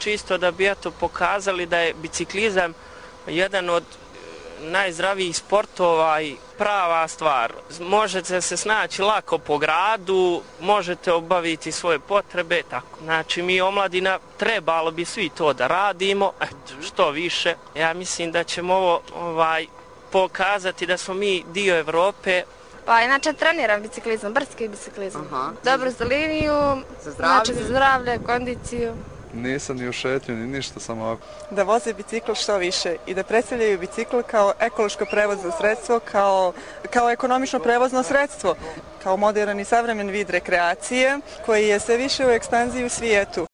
čisto da bi eto pokazali da je biciklizam jedan od najzdravijih sportova i prava stvar. Možete se snaći lako po gradu, možete obaviti svoje potrebe, tako. Znači mi omladina trebalo bi svi to da radimo, eto, što više. Ja mislim da ćemo ovo pokazati da smo mi dio Evrope. Pa inače treniram biciklizam, brdski biciklizam. Dobro za liniju, znači za zdravlje, kondiciju. Nisam ni u šetnju, ni ništa, samo ovako. Da voze bicikl što više i da predstavljaju bicikl kao ekološko prevozno sredstvo, kao ekonomično prevozno sredstvo, kao modern i savremen vid rekreacije koji je sve više u ekspanziji u svijetu.